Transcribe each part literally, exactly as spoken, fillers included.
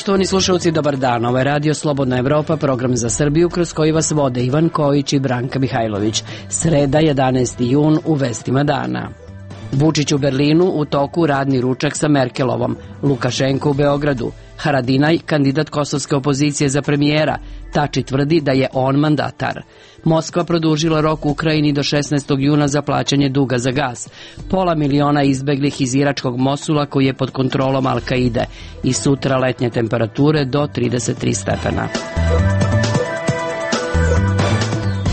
Poštovani slušalci, dobar dan. Ovo je Radio Slobodna Evropa, program za Srbiju kroz koji vas vode Ivan Kojić i Branka Mihajlović. Sreda, jedanaesti jun, u vestima dana. Vučić u Berlinu, u toku radni ručak sa Merkelovom. Lukašenko u Beogradu. Haradinaj, kandidat kosovske opozicije za premijera. Tači tvrdi da je on mandatar. Moskva produžila rok u Ukrajini do šesnaestog juna za plaćanje duga za gas. Pola miliona izbeglih iz iračkog Mosula koji je pod kontrolom Al-Kaide. I sutra letnje temperature do trideset tri stepena.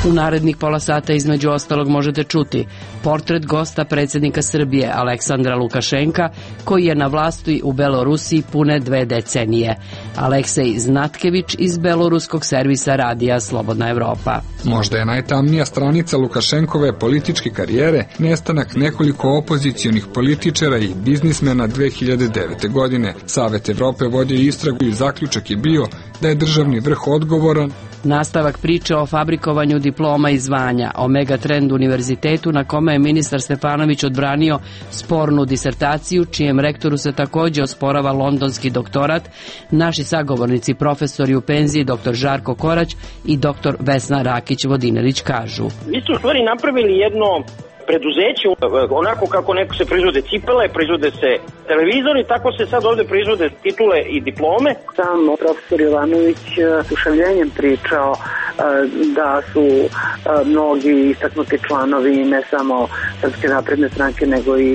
U narednih pola sata između ostalog možete čuti portret gosta predsjednika Srbije Aleksandra Lukašenka, koji je na vlasti u Belorusiji pune dve decenije. Aleksej Znatkević iz beloruskog servisa radija Slobodna Evropa. Možda je najtamnija stranica Lukašenkove političke karijere nestanak nekoliko opozicionih političara i biznismena dve hiljade devete. godine. Savet Evrope vodio istragu i zaključak je bio da je državni vrh odgovoran. Nastavak priče o fabrikovanju diploma i zvanja, o Megatrend univerzitetu na kome je ministar Stefanović odbranio spornu disertaciju, čijem rektoru se također osporava londonski doktorat, naši sagovornici profesori u penziji dr. Žarko Korać i dr. Vesna Rakić-Vodinelić kažu. Vi ste u stvari napravili jedno preduzeće, onako kako neko se proizvode cipele, proizvode se televizori, tako se sad ovde proizvode titule i diplome. Sam profesor Jovanović ušavljenjem pričao da su mnogi istaknuti članovi ne samo Srpske napredne stranke, nego i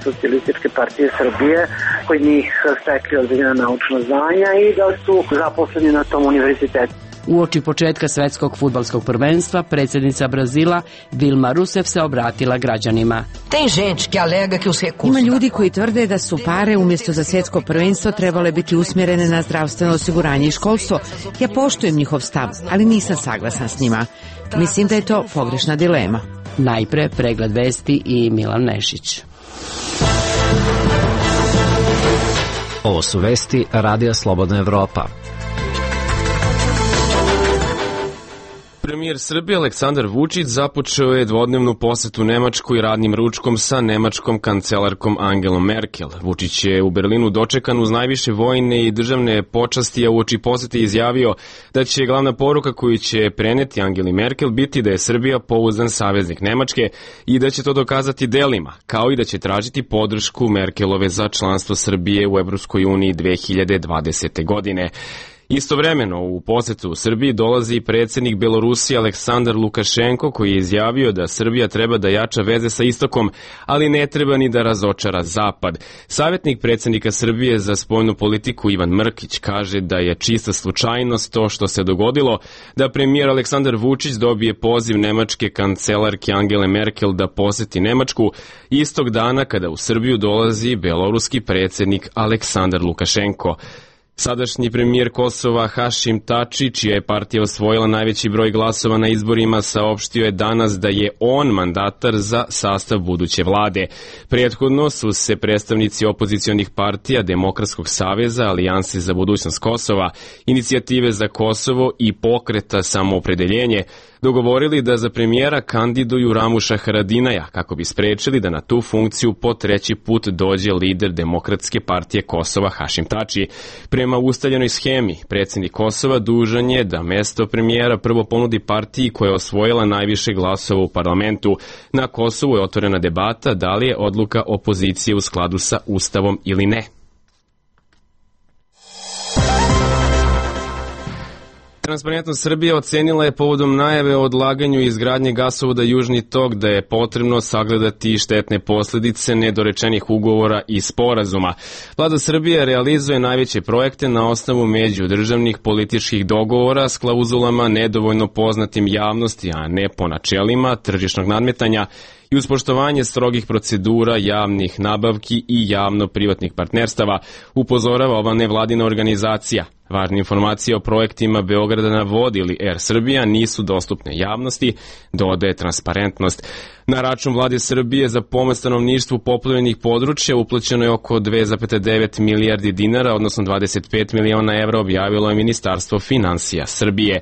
Socijalističke partije Srbije, koji njih stekli određena naučna zvanja i da su zaposleni na tom univerzitetu. Uoči početka svetskog fudbalskog prvenstva, predsjednica Brazila Dilma Rousseff se obratila građanima. Ima ljudi koji tvrde da su pare umjesto za svjetsko prvenstvo trebale biti usmjerene na zdravstveno osiguranje i školstvo. Ja poštujem njihov stav, ali nisam saglasan s njima. Mislim da je to pogrešna dilema. Najpre pregled vesti i Milan Nešić. Ovo su vesti Radija Slobodna Evropa. Premijer Srbije Aleksandar Vučić započeo je dvodnevnu posetu Nemačkoj radnim ručkom sa nemačkom kancelarkom Angelom Merkel. Vučić je u Berlinu dočekan uz najviše vojne i državne počasti, a uoči posete izjavio da će glavna poruka koju će preneti Angeli Merkel biti da je Srbija pouzdan saveznik Nemačke i da će to dokazati delima, kao i da će tražiti podršku Merkelove za članstvo Srbije u Evropskoj uniji dve hiljade dvadesete. godine. Istovremeno u posetu u Srbiji dolazi i predsjednik Belorusije Aleksandar Lukašenko, koji je izjavio da Srbija treba da jača veze sa istokom, ali ne treba ni da razočara zapad. Savjetnik predsjednika Srbije za spoljnu politiku Ivan Mrkić kaže da je čista slučajnost to što se dogodilo, da premijer Aleksandar Vučić dobije poziv nemačke kancelarke Angele Merkel da poseti Nemačku istog dana kada u Srbiju dolazi beloruski predsjednik Aleksandar Lukašenko. Sadašnji premijer Kosova Hašim Tači, čija je partija osvojila najveći broj glasova na izborima, saopštio je danas da je on mandatar za sastav buduće vlade. Prethodno su se predstavnici opozicionih partija Demokratskog saveza, Alijanse za budućnost Kosova, Inicijative za Kosovo i Pokreta samoopredeljenje dogovorili da za premijera kandiduju Ramuša Haradinaja kako bi sprečili da na tu funkciju po treći put dođe lider Demokratske partije Kosova Hašim Tači. Prema ustaljenoj schemi, predsjednik Kosova dužan je da mesto premijera prvo ponudi partiji koja je osvojila najviše glasova u parlamentu. Na Kosovu je otvorena debata da li je odluka opozicije u skladu sa Ustavom ili ne. Transparentnost Srbije ocenila je povodom najave o odlaganju izgradnje gasovoda Južni tok da je potrebno sagledati štetne posljedice nedorečenih ugovora i sporazuma. Vlada Srbije realizuje najveće projekte na osnovu međudržavnih političkih dogovora s klauzulama nedovoljno poznatim javnosti, a ne po načelima tržišnog nadmetanja i uz poštovanje strogih procedura javnih nabavki i javno-privatnih partnerstava, upozorava ova nevladina organizacija. Važne informacije o projektima Beograda na vodi ili Er Srbija nisu dostupne javnosti, dodaje Transparentnost. Na račun vlade Srbije za pomoć stanovništvu poplavljenih područja uplaćeno je oko dve zarez devet milijardi dinara, odnosno dvadeset pet miliona evra, objavilo je Ministarstvo finansija Srbije.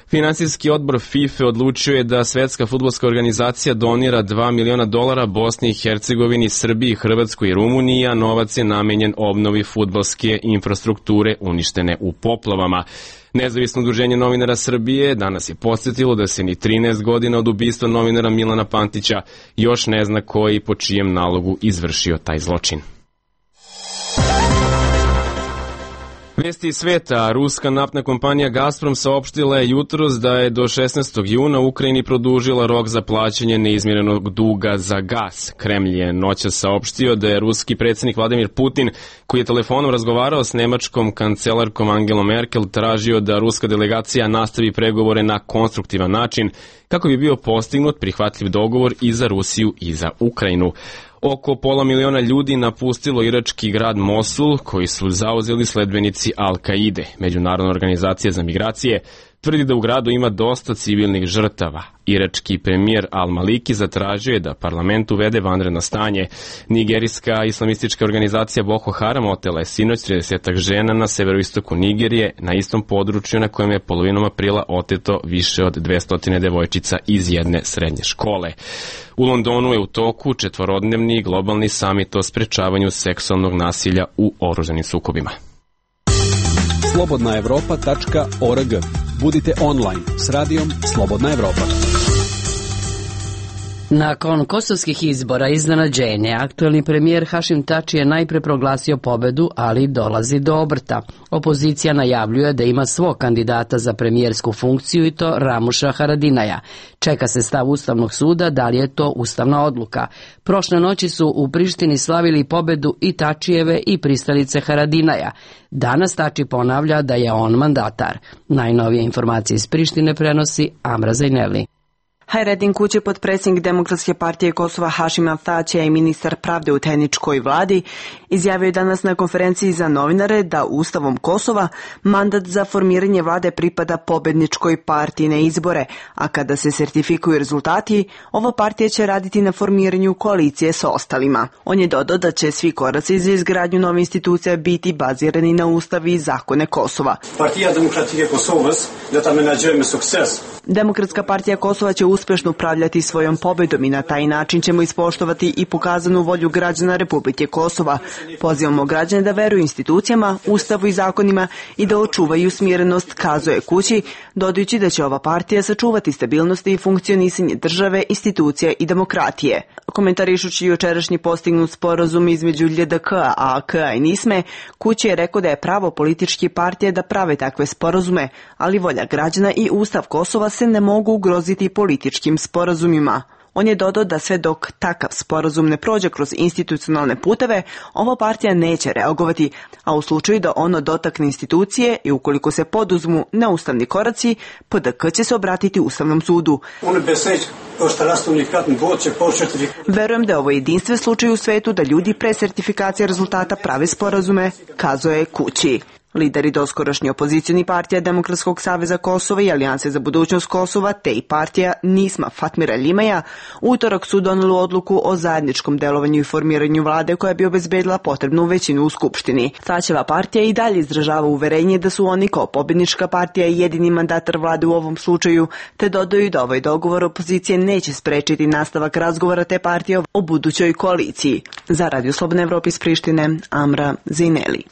Finansijski odbor FIFA odlučio je da Svetska fudbalska organizacija donira dva miliona dolara Bosni i Hercegovini, Srbiji, Hrvatskoj i Rumuniji, a novac je namenjen obnovi fudbalske infrastrukture uništene u poplavama. Nezavisno udruženje novinara Srbije danas je podsjetilo da se ni trinaest godina od ubistva novinara Milana Pantića još ne zna ko je i po čijem nalogu izvršio taj zločin. Vesti iz sveta. Ruska naftna kompanija Gazprom saopštila je jutros da je do šesnaestog juna Ukrajini produžila rok za plaćanje neizmirenog duga za gas. Kremlj je noćas saopštio da je ruski predsjednik Vladimir Putin, koji je telefonom razgovarao s nemačkom kancelarkom Angelom Merkel, tražio da ruska delegacija nastavi pregovore na konstruktivan način kako bi bio postignut prihvatljiv dogovor i za Rusiju i za Ukrajinu. Oko pola miliona ljudi napustilo irački grad Mosul, koji su zauzeli sledbenici Al-Kaide. Međunarodna organizacija za migracije tvrdi da u gradu ima dosta civilnih žrtava. Irački premijer Al-Maliki zatražio je da parlament uvede vanredno stanje. Nigerijska islamistička organizacija Boko Haram otela je sinoć tridesetak žena na severoistoku Nigerije, na istom području na kojem je polovinom aprila oteto više od dvesta devojčica iz jedne srednje škole. U Londonu je u toku četvorodnevni globalni samit o sprečavanju seksualnog nasilja u oružanim sukobima. slobodna evropa tačka org. Budite online s radijom Slobodna Evropa. Nakon kosovskih izbora iznenađenje, aktuelni premijer Hašim Tači je najpre proglasio pobedu, ali dolazi do obrta. Opozicija najavljuje da ima svog kandidata za premijersku funkciju i to Ramuša Haradinaja. Čeka se stav Ustavnog suda da li je to ustavna odluka. Prošle noći su u Prištini slavili pobedu i Tačijeve i pristalice Haradinaja. Danas Tači ponavlja da je on mandatar. Najnovije informacije iz Prištine prenosi Amra Zajneli. Hajredin Kući, potpredsjednik Demokratske partije Kosova Hašima Tačija i ministar pravde u tehničkoj vladi, izjavio je danas na konferenciji za novinare da Ustavom Kosova mandat za formiranje vlade pripada pobedničkoj partiji na izbore, a kada se sertifikuju rezultati, ova partija će raditi na formiranju koalicije sa ostalima. On je dodao da će svi koraci za izgradnju nove institucije biti bazirani na Ustav i zakone Kosova. Partija Demokratike Kosovas da ta menadžujeme sukces. Demokratska partija Kosova će uspešno upravljati svojom pobedom i na taj način ćemo ispoštovati i pokazanu volju građana Republike Kosova. Pozivamo građane da veruju institucijama, ustavu i zakonima i da očuvaju smirenost, kazuje Kući, dodajući da će ova partija sačuvati stabilnost i funkcionisanje države, institucija i demokratije. Komentarišući jučerašnji postignut sporazum između L D K-a, A K-a i Nisme, Kući je rekao da je pravo političke partije da prave takve sporazume, ali volja građana i ustav Kosova se ne mogu ugroziti političkim sporazumima. On je dodao da sve dok takav sporazum ne prođe kroz institucionalne puteve, ova partija neće reagovati, a u slučaju da ono dotakne institucije i ukoliko se poduzmu neustavni koraci, P D K će se obratiti Ustavnom sudu. Verujem da je ovo jedinstven slučaj u svetu da ljudi pre sertifikacije rezultata prave sporazume, kazuje Kući. Lideri doskorašnji opozicijni partija Demokratskog saveza Kosova i Alijanse za budućnost Kosova, te i partija Nisma Fatmira Limaja, utorak su doneli odluku o zajedničkom delovanju i formiranju vlade koja bi obezbedila potrebnu većinu u Skupštini. Tačeva partija i dalje izražava uverenje da su oni kao pobednička partija jedini mandatar vlade u ovom slučaju, te dodaju da ovaj dogovor opozicije neće sprečiti nastavak razgovora te partije o budućoj koaliciji. Za Radio Slobodna Evropa iz Prištine, Amra Zajneli.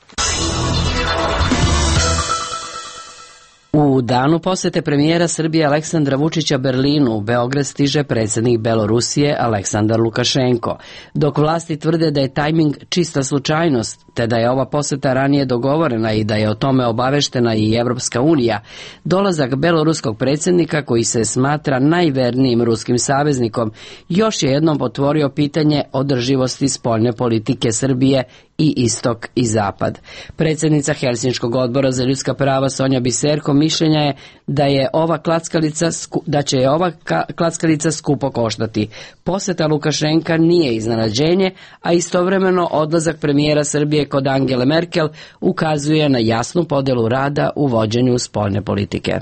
U danu posete premijera Srbije Aleksandra Vučića Berlinu u Beograd stiže predsjednik Belorusije Aleksandar Lukašenko. Dok vlasti tvrde da je tajming čista slučajnost, te da je ova poseta ranije dogovorena i da je o tome obaveštena i Evropska unija, dolazak beloruskog predsjednika, koji se smatra najvernijim ruskim saveznikom, još je jednom potvorio pitanje održivosti spoljne politike Srbije i istok i zapad. Predsjednica Helsinškog odbora za ljudska prava Sonja Biserko mišljenja je da je ova klackalica da će je ova klackalica skupo koštati. Poseta Lukašenka nije iznenađenje, a istovremeno odlazak premijera Srbije kod Angele Merkel ukazuje na jasnu podelu rada u vođenju spoljne politike.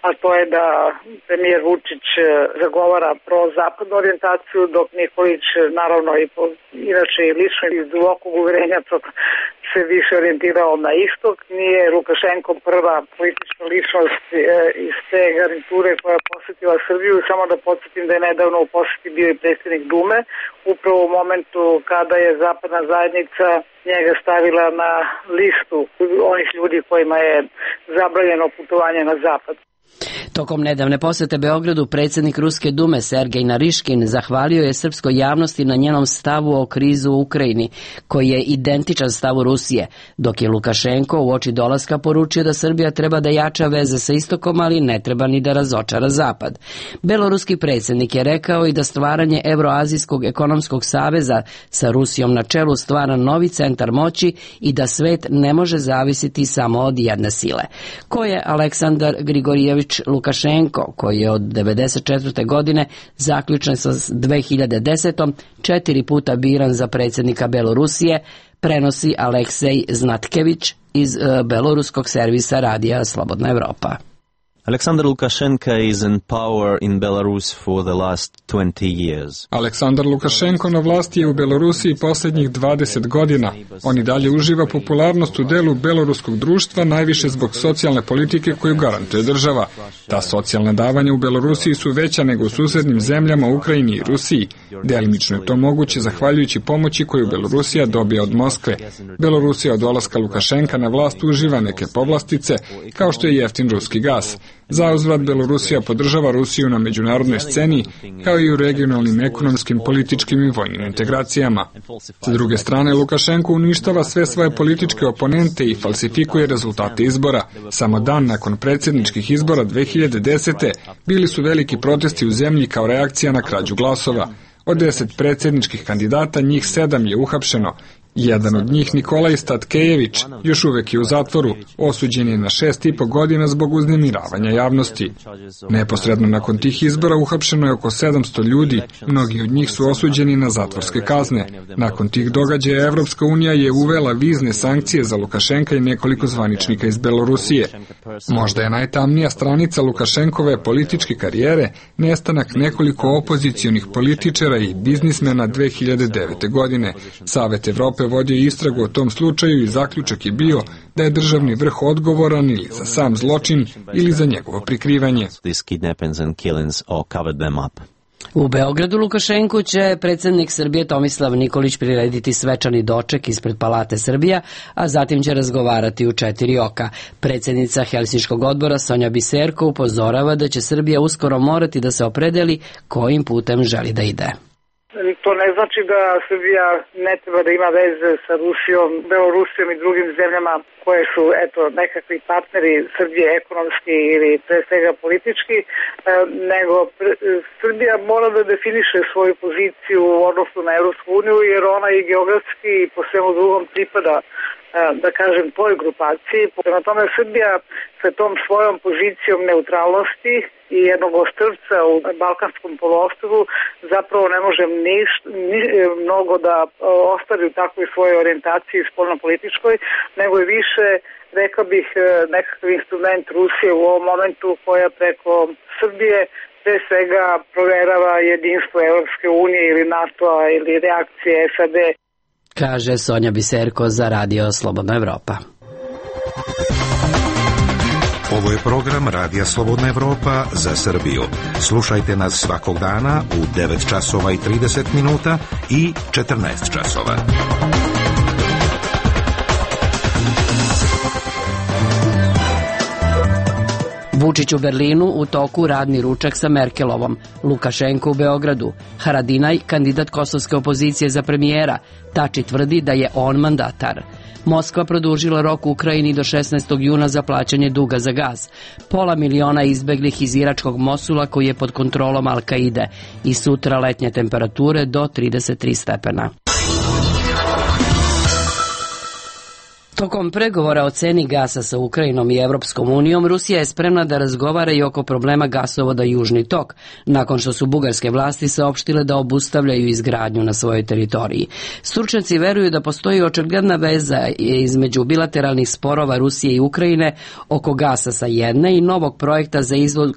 a to je da premijer Vučić zagovara pro-zapadnu orijentaciju, dok Nikolić naravno i po, inače i lično iz dubokog uverenja se više orijentirao na istok. Nije Lukašenko prva politička ličnost iz te garniture koja je posjetila Srbiju. Samo da podsjetim da je nedavno u posjeti bio i predsjednik Dume, upravo u momentu kada je zapadna zajednica njega stavila na listu onih ljudi kojima je zabranjeno putovanje na zapad. Tokom nedavne posete Beogradu predsjednik Ruske dume Sergej Nariškin zahvalio je srpskoj javnosti na njenom stavu o krizu u Ukrajini, koji je identičan stavu Rusije, dok je Lukašenko uoči dolaska poručio da Srbija treba da jača veze sa istokom, ali ne treba ni da razočara zapad. Beloruski predsjednik je rekao i da stvaranje Evroazijskog ekonomskog saveza sa Rusijom na čelu stvara novi centar moći i da svet ne može zavisiti samo od jedne sile. Ko je Aleksandar Grigorijević Lukašenko, koji je od devedeset četvrte godine zaključen sa dve hiljade desetom četiri puta biran za predsjednika Belorusije, prenosi Aleksej Znatkević iz beloruskog servisa radija Slobodna Evropa. Aleksandar Lukashenko is in power in Belarus for the last twenty years. Aleksandar Lukašenko na vlasti je u Belorusiji posljednjih dvadeset godina. On i dalje uživa popularnost u delu beloruskog društva, najviše zbog socijalne politike koju garantuje država. Ta socijalna davanja u Belorusiji su veća nego u susednim zemljama Ukrajini i Rusiji. Delimično je to moguće zahvaljujući pomoći koju Belorusija dobija od Moskve. Belorusija od dolaska Lukašenka na vlast uživa neke povlastice, kao što je jeftin ruski gas. Zauzvrat Belorusija podržava Rusiju na međunarodnoj sceni, kao i u regionalnim ekonomskim, političkim i vojnim integracijama. Sa druge strane, Lukašenko uništava sve svoje političke oponente i falsifikuje rezultate izbora. Samo dan nakon predsjedničkih izbora dve hiljade desete bili su veliki protesti u zemlji kao reakcija na krađu glasova. Od deset predsjedničkih kandidata, njih sedam je uhapšeno. Jedan od njih, Nikolaj Statkejević, još uvek je u zatvoru, osuđen je na šest i po godina zbog uznemiravanja javnosti. Neposredno nakon tih izbora uhapšeno je oko sedamsto ljudi, mnogi od njih su osuđeni na zatvorske kazne. Nakon tih događaja Evropska unija je uvela vizne sankcije za Lukašenka i nekoliko zvaničnika iz Belorusije. Možda je najtamnija stranica Lukašenkove političke karijere nestanak nekoliko opozicionih političara i biznismena dve hiljade devete godine. Savet Evrope vodio istragu o tom slučaju i zaključak je bio da je državni vrh odgovoran ili za sam zločin ili za njegovo prikrivanje. U Beogradu Lukašenku će predsjednik Srbije Tomislav Nikolić prirediti svečani doček ispred Palate Srbija, a zatim će razgovarati u četiri oka. Predsjednica Helsinškog odbora Sonja Biserko upozorava da će Srbija uskoro morati da se opredeli kojim putem želi da ide. To ne znači da Srbija ne treba da ima veze sa Rusijom, Belorusijom i drugim zemljama koje su eto nekakvi partneri Srbije ekonomski ili pre svega politički, nego Srbija mora da definiše svoju poziciju u odnosu na Evropsku uniju, jer ona i geografski i po svemu drugom pripada, da kažem, toj grupaciji. Prema tome Srbija sa tom svojom pozicijom neutralnosti i jednog ostrvca u Balkanskom poluostrvu zapravo ne može niš, ni, mnogo da ostvari u takvoj svojoj orijentaciji spoljnopolitičkoj, nego je više, rekao bih, nekakav instrument Rusije u ovom momentu koja preko Srbije pre svega proverava jedinstvo Evropske unije ili NATO-a ili reakcije S A D. Kaže Sonja Biserko za Radio Slobodna Evropa. Ovo je program Radija Slobodna Evropa za Srbiju. Slušajte nas svakog dana u devet časova i trideset minuta i četrnaest časova. Vučić u Berlinu, u toku radni ručak sa Merkelovom, Lukašenko u Beogradu, Haradinaj, kandidat kosovske opozicije za premijera, Tači tvrdi da je on mandatar. Moskva produžila rok u Ukrajini do šesnaestog juna za plaćanje duga za gas. Pola miliona izbeglih iz iračkog Mosula koji je pod kontrolom Al-Kaide i sutra letnje temperature do trideset tri stepena. Tokom pregovora o ceni gasa sa Ukrajinom i Evropskom unijom, Rusija je spremna da razgovara i oko problema gasovoda Južni tok, nakon što su bugarske vlasti saopštile da obustavljaju izgradnju na svojoj teritoriji. Stručnjaci veruju da postoji očigledna veza između bilateralnih sporova Rusije i Ukrajine oko gasa sa jedne i novog projekta za izvoz,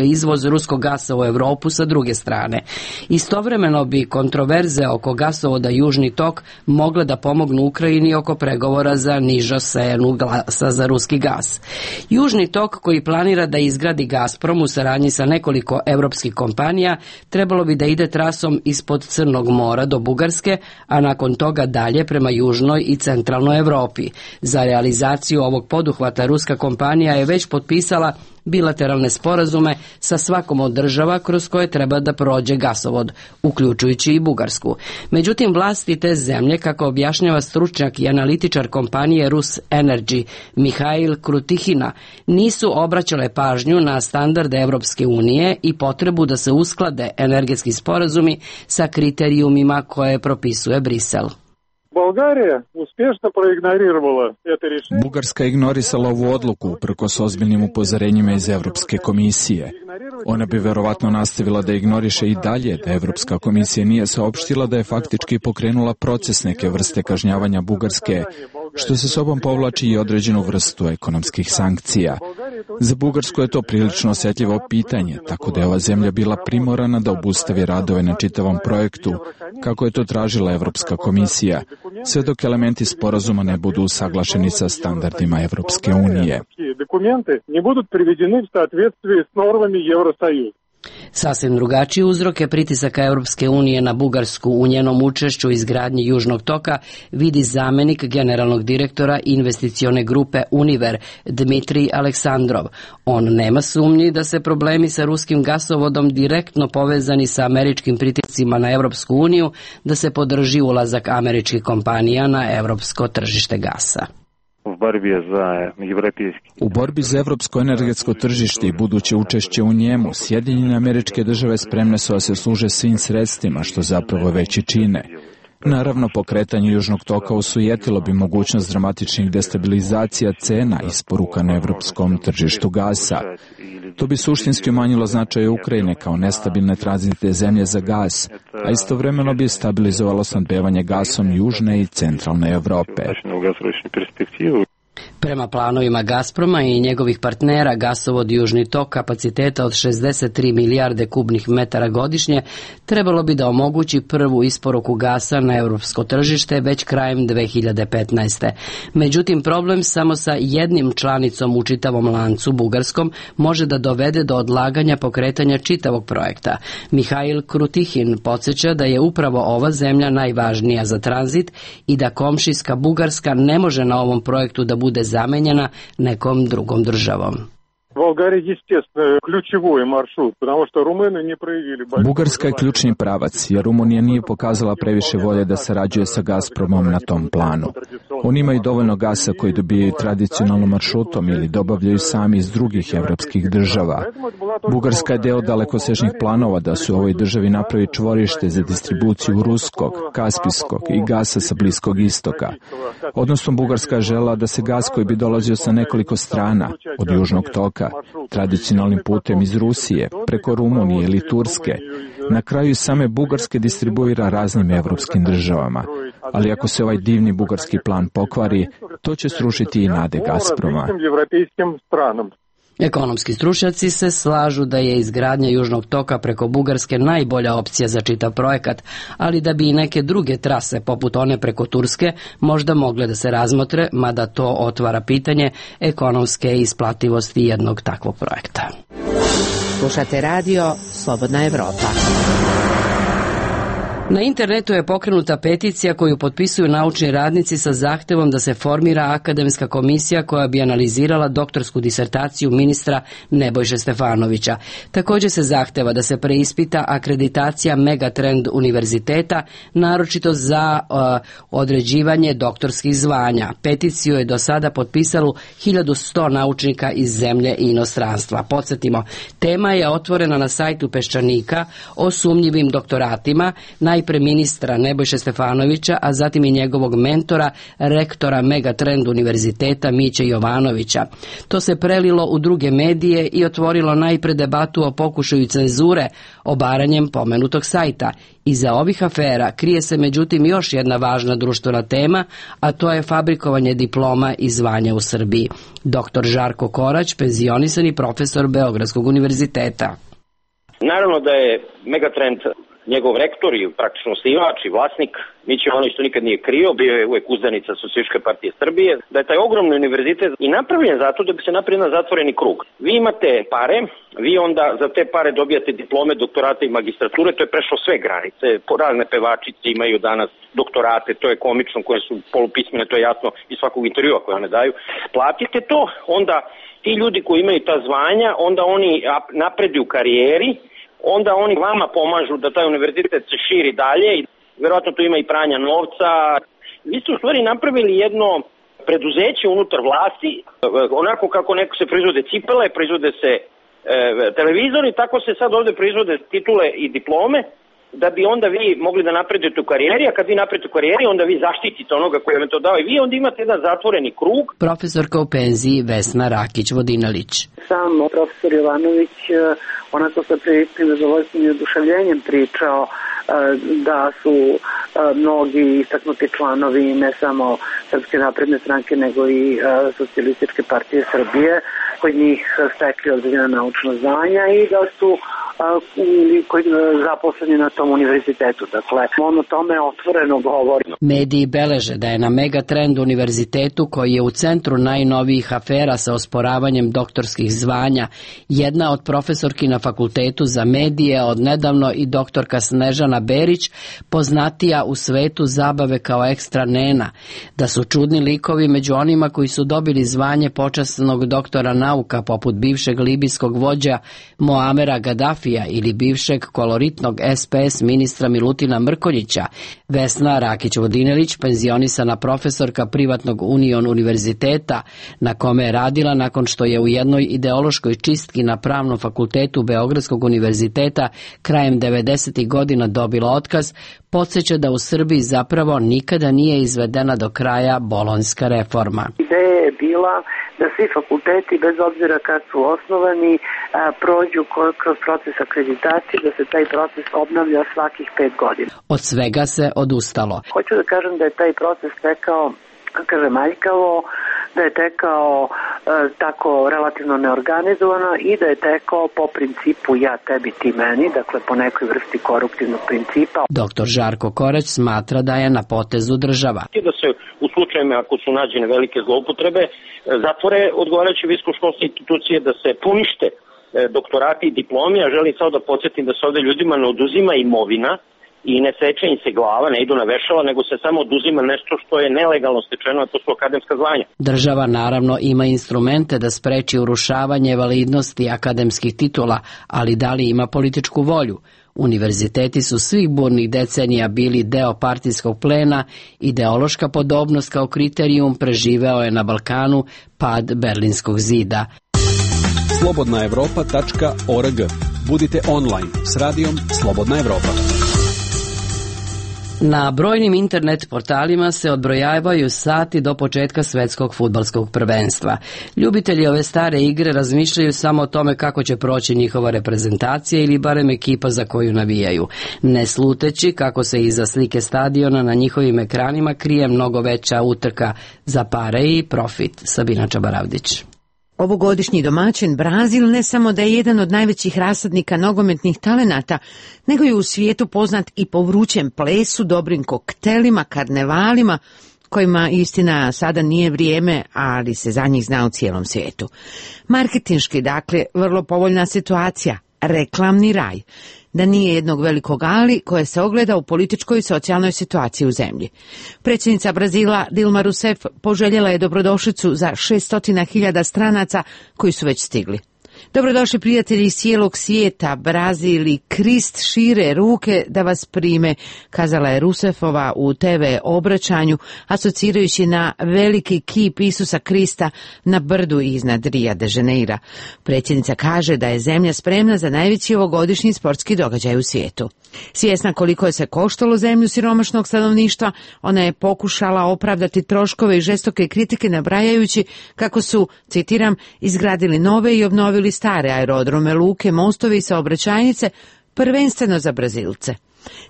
izvoz ruskog gasa u Evropu sa druge strane. Istovremeno bi kontroverze oko gasovoda Južni tok mogle da pomognu Ukrajini oko pregovora za nižu cenu glasa za ruski gas. Južni tok, koji planira da izgradi Gazprom u saradnji sa nekoliko evropskih kompanija, trebalo bi da ide trasom ispod Crnog mora do Bugarske, a nakon toga dalje prema južnoj i centralnoj Evropi. Za realizaciju ovog poduhvata ruska kompanija je već potpisala bilateralne sporazume sa svakom od država kroz koje treba da prođe gasovod, uključujući i Bugarsku. Međutim, vlasti te zemlje, kako objašnjava stručnjak i analitičar kompanije Rus Energy Mihail Krutihina, nisu obraćale pažnju na standarde Evropske unije i potrebu da se usklade energetski sporazumi sa kriterijumima koje propisuje Brisel. Болгария успешно проигнорировала это решение. Bugarska je ignorisala ovu odluku uprkos ozbiljnim upozorenjima iz Evropske komisije. Ona bi verovatno nastavila da ignoriše i dalje da Evropska komisija nije saopštila da je faktički pokrenula proces neke vrste kažnjavanja Bugarske, što se sobom povlači i određenu vrstu ekonomskih sankcija. Za Bugarsku je to prilično osjetljivo pitanje, tako da je ova zemlja bila primorana da obustavi radove na čitavom projektu, kako je to tražila Evropska komisija, sve dok elementi sporazuma ne budu usaglašeni sa standardima Evropske unije. Sasvim drugačiji uzrok je pritisaka Europske unije na Bugarsku u njenom učešću u izgradnji Južnog toka, vidi zamenik generalnog direktora investicione grupe Univer Dmitrij Aleksandrov. On nema sumnji da se problemi sa ruskim gasovodom direktno povezani sa američkim pritiscima na Europsku uniju da se podrži ulazak američkih kompanija na europsko tržište gasa. U borbi za evropsko energetsko tržište i buduće učešće u njemu, Sjedinjene Američke Države spremne su da se služe svim sredstvima, što zapravo već i čine. Naravno, pokretanje Južnog toka osujetilo bi mogućnost dramatičnih destabilizacija cena isporuka na evropskom tržištu gasa. To bi suštinski umanjilo značaj Ukrajine kao nestabilne tranzitne zemlje za gas, a istovremeno bi stabilizovalo snabdevanje gasom južne i centralne Evrope. Prema planovima Gazproma i njegovih partnera, gasovod Južni tok kapaciteta od šezdeset tri milijarde kubnih metara godišnje trebalo bi da omogući prvu isporuku gasa na europsko tržište već krajem dve hiljade petnaeste. Međutim, problem samo sa jednim članicom u čitavom lancu, Bugarskom, može da dovede do odlaganja pokretanja čitavog projekta. Mihail Krutihin podsjeća da je upravo ova zemlja najvažnija za tranzit i da komšijska Bugarska ne može na ovom projektu da bude zamenjena nekom drugom državom. Bugarska je ključni pravac, jer Rumunija nije pokazala previše volje da sarađuje sa Gazpromom na tom planu. Oni imaju dovoljno gasa koji dobijaju tradicionalnom maršrutom ili dobavljaju sami iz drugih evropskih država. Bugarska je deo dalekosežnih planova da se u ovoj državi napravi čvorište za distribuciju ruskog, kaspijskog i gasa sa Bliskog istoka. Odnosno, Bugarska je želela da se gas koji bi dolazio sa nekoliko strana od Južnog toka, tradicionalnim putem iz Rusije, preko Rumunije ili Turske, na kraju same Bugarske distribuira raznim evropskim državama. Ali ako se ovaj divni bugarski plan pokvari, to će srušiti i nade Gazproma. Ekonomski stručnjaci se slažu da je izgradnja Južnog toka preko Bugarske najbolja opcija za čitav projekat, ali da bi i neke druge trase, poput one preko Turske, možda mogle da se razmotre, mada to otvara pitanje ekonomske isplativosti jednog takvog projekta. Slušate radio Slobodna Evropa. Na internetu je pokrenuta peticija koju potpisuju naučni radnici sa zahtevom da se formira akademska komisija koja bi analizirala doktorsku disertaciju ministra Nebojše Stefanovića. Također se zahteva da se preispita akreditacija Megatrend univerziteta, naročito za uh, određivanje doktorskih zvanja. Peticiju je do sada potpisalo hiljadu sto naučnika iz zemlje i inostranstva. Podsjetimo, tema je otvorena na sajtu Peščanika o sumnjivim doktoratima, na najpre ministra Nebojše Stefanovića, a zatim i njegovog mentora, rektora Megatrend univerziteta Miće Jovanovića. To se prelilo u druge medije i otvorilo najpre debatu o pokušaju cenzure obaranjem pomenutog sajta. Iza ovih afera krije se međutim još jedna važna društvena tema, a to je fabrikovanje diploma i zvanja u Srbiji. Doktor Žarko Korać, penzionisani profesor Beogradskog univerziteta. Naravno da je Megatrend njegov rektor i praktično osnivač i vlasnik, Miće Jovanović to nikad nije krio, bio je uvek uzdanica Socijalističke partije Srbije, da je taj ogromni univerzitet i napravljen zato da bi se napravio jedan zatvoreni krug. Vi imate pare, vi onda za te pare dobijate diplome, doktorate i magistrature, to je prešlo sve granice, razne pevačice imaju danas doktorate, to je komično, koje su polupismene, to je jasno iz svakog intervjua koje one daju. Platite to, onda ti ljudi koji imaju ta zvanja, onda oni napreduju u karijeri, onda oni vama pomažu da taj univerzitet se širi dalje i verovatno tu ima i pranja novca. Vi ste u stvari napravili jedno preduzeće unutar vlasti, onako kako neko se proizvode cipele, proizvode se e, televizori, tako se sad ovde proizvode titule i diplome, da bi onda vi mogli da napredujete u karijeri, a kad vi napredujete u karijeri, onda vi zaštitite onoga koji vam to dao i vi onda imate jedan zatvoreni krug. Profesorka u penziji Vesna Rakić-Vodinelić. Sam profesor Jovanović onako sa priličnim zadovoljstvom i oduševljenjem pričao da su mnogi istaknuti članovi ne samo Srpske napredne stranke nego i Socijalističke partije Srbije kod njih stekli određena naučna znanja i da su koji zaposleni na tom univerzitetu. Dakle, on o tome otvoreno govori. Mediji beleže da je na Megatrend univerzitetu, koji je u centru najnovijih afera sa osporavanjem doktorskih zvanja, jedna od profesorki na Fakultetu za medije, od nedavno i doktorka Snežana Berić, poznatija u svetu zabave kao ekstra nena, da su čudni likovi među onima koji su dobili zvanje počasnog doktora nauka, poput bivšeg libijskog vođa Moamera Gadafija ili bivšeg koloritnog S P S ministra Milutina Mrkonjića. Vesna Rakić-Vodinelić, penzionisana profesorka privatnog Union univerziteta, na kome je radila nakon što je u jednoj ideološkoj čistki na Pravnom fakultetu Beogradskog univerziteta krajem devedesetih godina dobila otkaz, podsjeća da u Srbiji zapravo nikada nije izvedena do kraja bolonjska reforma. Ideja je bila da svi fakulteti, bez obzira kad su osnovani, prođu kroz proces akreditacije, da se taj proces obnavlja svakih pet godina. Od svega se odustalo. Hoću da kažem da je taj proces tekao, kažem, aljkavo, da je tekao e, tako relativno neorganizovano i da je tekao po principu ja tebi ti meni, dakle po nekoj vrsti koruptivnog principa. Doktor Žarko Korać smatra da je na potezu država. Da se u slučajima ako su nađene velike zloupotrebe zatvore odgovarajuće visokoškolske institucije, da se ponište doktorati i diplomi, a želim samo da podsjetim da se ovde ljudima ne oduzima imovina i ne seče im se glava, ne idu na vešala, nego se samo oduzima nešto što je nelegalno stečeno, a to su akademska zvanja. Država naravno ima instrumente da spreči urušavanje validnosti akademskih titula, ali da li ima političku volju? Univerziteti su svih burnih decenija bili deo partijskog plena, ideološka podobnost kao kriterijum preživeo je na Balkanu pad Berlinskog zida. slobodna evropa tačka org. Budite online s radijom Slobodna Evropa. Na brojnim internet portalima se odbrojavaju sati do početka svetskog fudbalskog prvenstva. Ljubitelji ove stare igre razmišljaju samo o tome kako će proći njihova reprezentacija ili barem ekipa za koju navijaju, ne sluteći kako se iza slike stadiona na njihovim ekranima krije mnogo veća utrka za pare i profit. Sabina Čabaravdić. Ovogodišnji domaćin Brazil ne samo da je jedan od najvećih rasadnika nogometnih talenata, nego je u svijetu poznat i po vrućem plesu, dobrim koktelima, karnevalima, kojima istina sada nije vrijeme, ali se za njih zna u cijelom svijetu. Marketinški, dakle, vrlo povoljna situacija, reklamni raj. Da nije jednog velikog ali koje se ogleda u političkoj i socijalnoj situaciji u zemlji. Predsjednica Brazila Dilma Rousseff poželjela je dobrodošlicu za šessto hiljada stranaca koji su već stigli. Dobrodošli prijatelji iz cijelog svijeta, Brazil i Krist šire ruke da vas prime, kazala je Rusefova u te ve obraćanju, asocirajući na veliki kip Isusa Krista na brdu iznad Ria de Janeira. Predsjednica kaže da je zemlja spremna za najveći ovogodišnji sportski događaj u svijetu. Svjesna koliko je se koštalo zemlju siromašnog stanovništva, ona je pokušala opravdati troškove i žestoke kritike nabrajajući kako su, citiram, izgradili nove i obnovili stare aerodrome, luke, mostovi i saobraćajnice, prvenstveno za Brazilce.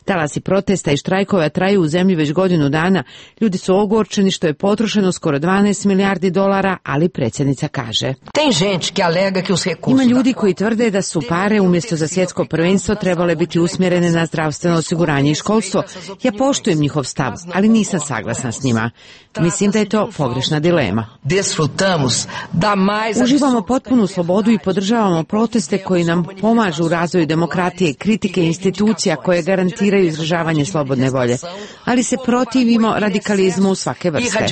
Talasi protesta i štrajkova traju u zemlji već godinu dana. Ljudi su ogorčeni što je potrošeno skoro dvanaest milijardi dolara, ali predsjednica kaže: Ima ljudi koji tvrde da su pare umjesto za svjetsko prvenstvo trebale biti usmjerene na zdravstveno osiguranje i školstvo. Ja poštujem njihov stav, ali nisam saglasna s njima. Mislim da je to pogrešna dilema. Uživamo potpunu slobodu i podržavamo proteste koji nam pomažu u razvoju demokratije, kritike institucija koje garantiraju izražavanje slobodne volje, ali se protivimo radikalizmu svake vrste.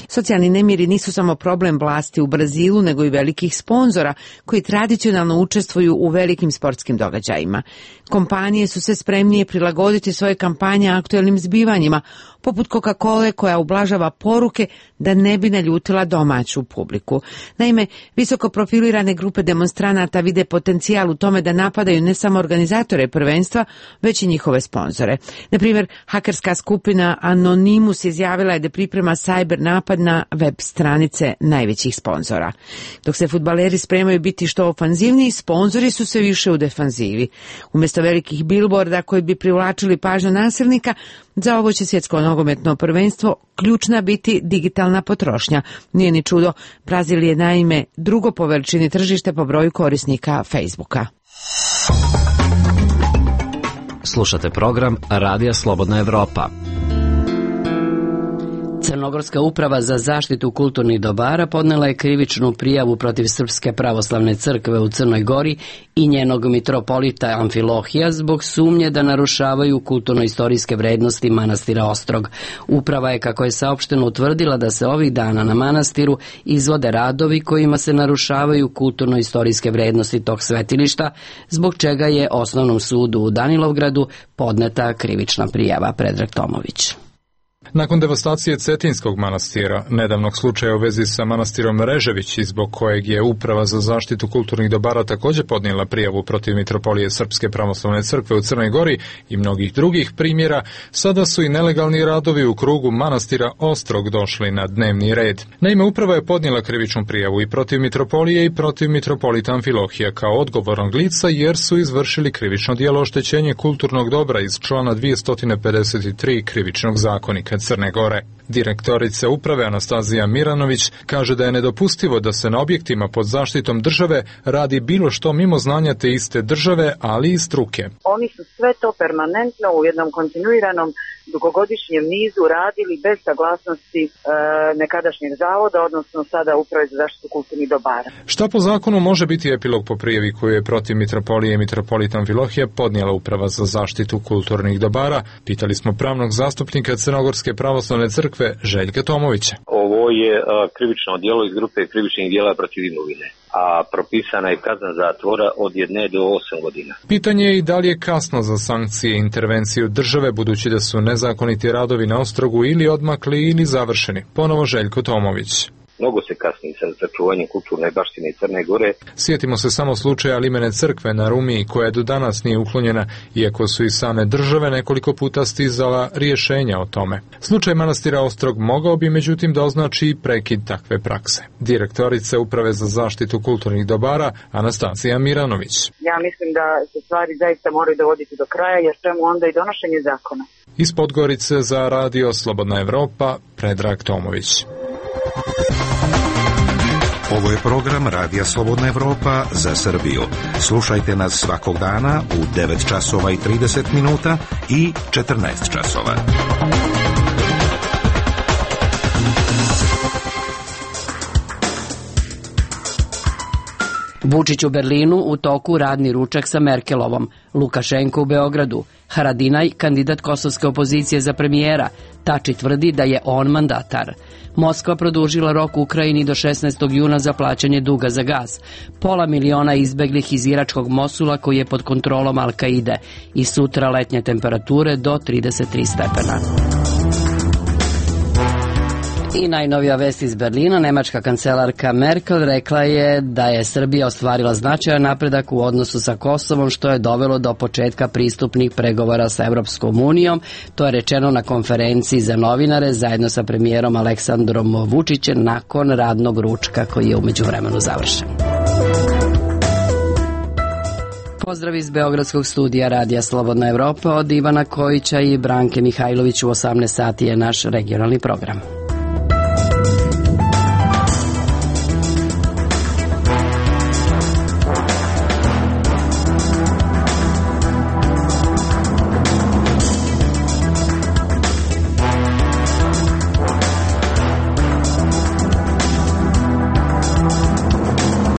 Socijalni nemiri nisu samo problem vlasti u Brazilu, nego i velikih sponzora koji tradicionalno učestvuju u velikim sportskim događajima. Kompanije su sve spremnije prilagoditi svoje kampanje aktuelnim zbivanjima, poput Coca-Cole koja ublažava poruke da ne bi naljutila domaću publiku. Naime, visoko profilirane grupe demonstranata vide potencijal u tome da napadaju ne samo organizatore prvenstva, već i njihove sponzore. Na primjer, hakerska skupina Anonymous izjavila je da priprema cyber napad na web stranice najvećih sponzora. Dok se fudbaleri spremaju biti što ofanzivniji, sponzori su sve više u defanzivi. Umjesto velikih billboarda koji bi privlačili pažnju nasilnika, za ovo će svjetsko nogometno prvenstvo ključna biti digitalna potrošnja. Nije ni čudo, Brazil je naime drugo po veličini tržište po broju korisnika Facebooka. Slušate program Radija Slobodna Evropa. Crnogorska uprava za zaštitu kulturnih dobara podnela je krivičnu prijavu protiv Srpske pravoslavne crkve u Crnoj Gori i njenog mitropolita Amfilohija zbog sumnje da narušavaju kulturno-istorijske vrednosti manastira Ostrog. Uprava je, kako je saopšteno, utvrdila da se ovih dana na manastiru izvode radovi kojima se narušavaju kulturno-istorijske vrednosti tog svetilišta, zbog čega je Osnovnom sudu u Danilovgradu podneta krivična prijava. Predrag Tomović. Nakon devastacije Cetinskog manastira, nedavnog slučaja u vezi sa manastirom Režević, zbog kojeg je Uprava za zaštitu kulturnih dobara također podnijela prijavu protiv mitropolije Srpske pravoslavne crkve u Crnoj Gori i mnogih drugih primjera, sada su i nelegalni radovi u krugu manastira Ostrog došli na dnevni red. Naime, Uprava je podnijela krivičnu prijavu i protiv mitropolije i protiv mitropolita Amfilohija kao odgovornog lica, jer su izvršili krivično djelo oštećenje kulturnog dobra iz člana dvjesto pedeset tri krivičnog zakonika Crne Gore. Direktorica uprave Anastazija Miranović kaže da je nedopustivo da se na objektima pod zaštitom države radi bilo što mimo znanja te iste države, ali i struke. Oni su sve to permanentno u jednom kontinuiranom dugogodišnjem nizu radili bez saglasnosti e, nekadašnjeg zavoda, odnosno sada Uprave za zaštitu kulturnih dobara. Šta po zakonu može biti epilog po prijavi koju je protiv mitropolije i mitropolita Amfilohija podnijela Uprava za zaštitu kulturnih dobara? Pitali smo pravnog zastupnika Crnogorske pravoslavne crkve Željka Tomovića. Ovo je a, krivično djelo iz grupe krivičnih djela protiv imovine, a propisana je kazna zatvora od jedne do osam godina. Pitanje je i da li je kasno za sankcije i intervenciju države, budući da su nezakoniti radovi na Ostrogu ili odmakli ili završeni. Ponovo Željko Tomović. Mnogo se kasni sa sačuvanjem kulturne baštine Crne Gore. Sjetimo se samo slučaja limene crkve na Rumiji, koja do danas nije uklonjena, iako su i same države nekoliko puta stizala rješenja o tome. Slučaj manastira Ostrog mogao bi međutim da označi prekid takve prakse. Direktorica Uprave za zaštitu kulturnih dobara Anastazija Miranović. Ja mislim da se stvari zaista moraju dovoditi do kraja, jer čemu onda i donošenje zakona. Iz Podgorice za Radio Slobodna Evropa, Predrag Tomović. Ovo je program Radija Slobodna Evropa za Srbiju. Slušajte nas svakog dana u devet časova i trideset minuta i četrnaest časova. Vučić u Berlinu, u toku radni ručak sa Merkelovom, Lukašenko u Beogradu, Haradinaj, kandidat kosovske opozicije za premijera, Tači tvrdi da je on mandatar. Moskva produžila rok Ukrajini do šesnaestog juna za plaćanje duga za gas. Pola miliona izbeglih iz iračkog Mosula koji je pod kontrolom Al-Kaide i sutra letnje temperature do trideset tri stepena. I najnovija vest iz Berlina, nemačka kancelarka Merkel rekla je da je Srbija ostvarila značajan napredak u odnosu sa Kosovom, što je dovelo do početka pristupnih pregovora sa Evropskom unijom. To je rečeno na konferenciji za novinare zajedno sa premijerom Aleksandrom Vučićem nakon radnog ručka koji je umeđu vremenu završen. Pozdrav iz Beogradskog studija Radija Slobodna Evropa od Ivana Kojića i Branke Mihajlović. U osamnaest sati je naš regionalni program.